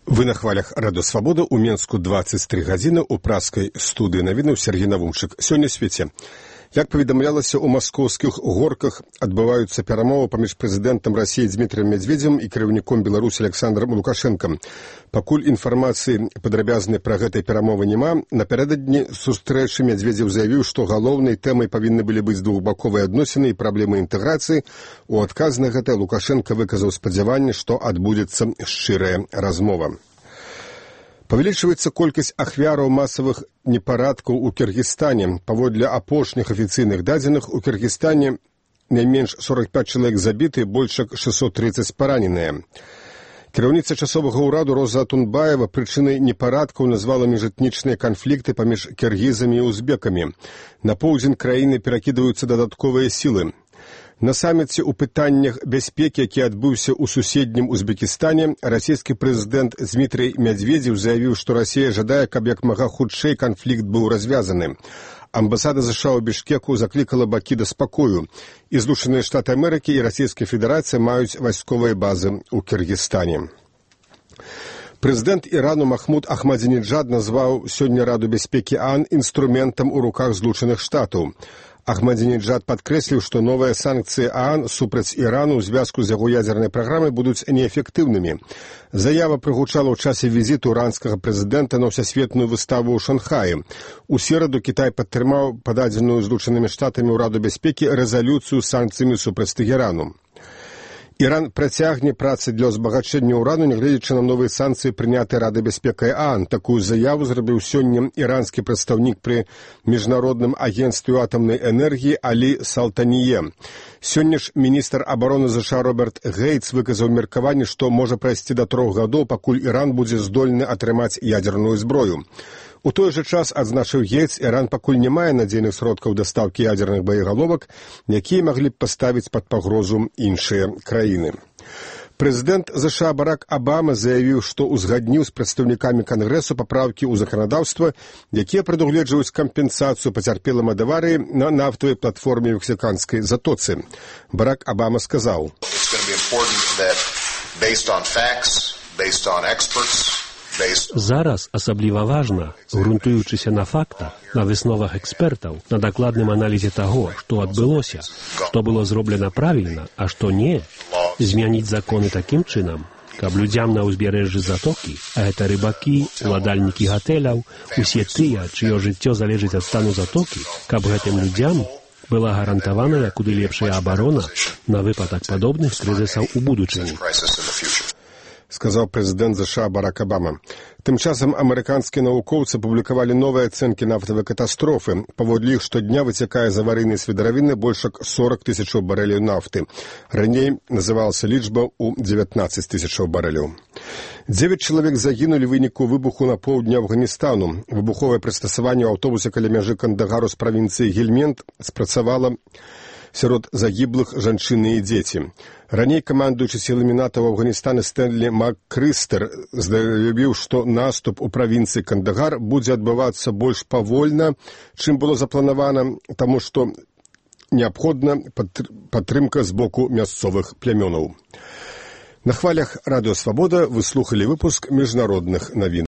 Вы на хвалях Радио Свобода. У Менску 23 гадзіны. У праскай студыі навінаў Сергей Навумчык. Сёння свеце. Як паведамлялася, у маскоўскіх горках адбываюцца перамовы паміж прэзідэнтам Расіі Дмітрием Медведзевым і кіраўніком Беларусі Александром Лукашэнкам. Пакуль інфармацыі падрабязнай пра гэтай перамовы няма, напярэдадні сустрэчы Медведзев заявіў, што галоўнай тэмай павінны былі быць двухбаковыя адносіны і праблемы інтэграцыі. У адказ на гэта Лукашенко выказаў спадзяванне, што адбудзецца шчырая размова. Павялічваецца колькасць ахвяраў масавых непарадкаў у Кіргізстане. Паводле апошніх афіцыйных дадзеных, у Кіргізстане найменш 45 чалавек забіты, больш як 630 параненыя. Кіраўніца часовага ўраду Роза Атунбаева прычынай непарадкаў назвала міжэтнічныя канфлікты паміж кіргізамі і узбекамі. На поўдзень краіны перакідваюцца дадатковыя сілы. На саміце ў пытаннях бяспекі, які адбыўся ў суседнім Узбекістане, расійскі прэзідэнт Дмітрий Медведзев заявіў, што Расія жадае, каб як мага хутчэй канфлікт быў развязаны. Амбасада США ў Бішкеку заклікала бакі да спакою. І Злучаныя Штаты Амерыкі і Расійская Федэрацыя маюць вайсковыя базы ў Кіргізстане. Прэзідэнт Ірану Махмуд Ахмадзінеджад назваў сёння Раду бяспекі ААН інструментам у руках Злучаных Штатаў. Ахмадзінеджад падкрэсліў, што новыя санкцыі ААН супраць Ірану ў звязку з яго ядзернай праграмай будуць неэфектыўнымі. Заява прагучала ў часе візіту іранскага прэзідэнта на ўсесветную выставу ў Шанхаі. У сераду Кітай падтрымаў пададзеную Злучанымі Штатамі ў Раду бяспекі рэзалюцыю з санкцыямі супраць Тэгэрану. Іран працягне працы для ўзбагачэння ўрану, нягледзячы на новыя санкцыі, прынятыя Рады бяспекі ААН. Такую заяву зрабіў сёння іранскі прадстаўнік пры міжнародным агенцтве атамнай энергіі Алі Салтанье. Сёння ж міністр абароны США Роберт Гейтс выказаў меркаванне, што можа прайсці да 3 гадоў, пакуль Іран будзе здольны атрымаць ядзерную зброю. У той жа час, адзначыў Гейтс, Іран пакуль не мае надзейных сродкаў дастаўкі ядзерных боегаловак, якія маглі б паставіць пад пагрозу іншыя краіны. Прэзідэнт США Барак Абама заявіў, што узгадніў з прадстаўнікамі Кангрэсу папраўкі ў заканадаўства, якія прадугледжваюць кампенсацыю пацярпелым ад аварыі на нафтавай платформе ў Мексіканскай затоцы. Барак Абама сказаў: Зараз асабліва важна, грунтуючыся на фактах, на высновах экспертаў, на дакладным аналізе таго, што адбылося, што было зроблена правільна, а што не, змяніць законы такім чынам, каб людзям на ўзбярэжжы затокі, а гэта рыбакі, уладальнікі гатэляў, усе тыя, чыё жыццё залежыць ад стану затокі, каб гэтым людзям была гарантаваная куды лепшая абарона на выпадак падобных крызісаў у будучыні. Сказаў прэзідэнт США Барак Абама. Тым часам амерыканскія навукоўцы публікавалі новыя ацэнкі нафтавай катастрофы. Паводле іх штодня выцякае з аварыйнай свідаравіны больш як 40 тысячаў барэляў нафты. Раней называлася лічба ў 19 тысячаў барэляў. 9 чалавек загінулі ў выніку выбуху на поўдні Афганістану. Выбуховае прыстасаванне ў аўтобусе каля мяжы Кандагару з правінцыі Гельмент спрацавала сярод загіблых жанчыны і дзеці. Раней камандуючы сіламі НАТО ў Афганістане Стэнлі МакКрыстер заявіў, што наступ у правінцыі Кандагар будзе адбывацца больш павольна, чым было запланавана, таму што неабходна падтрымка з боку мясцовых плямёнаў. На хвалях Радыё Свабода вы слухалі выпуск міжнародных навін.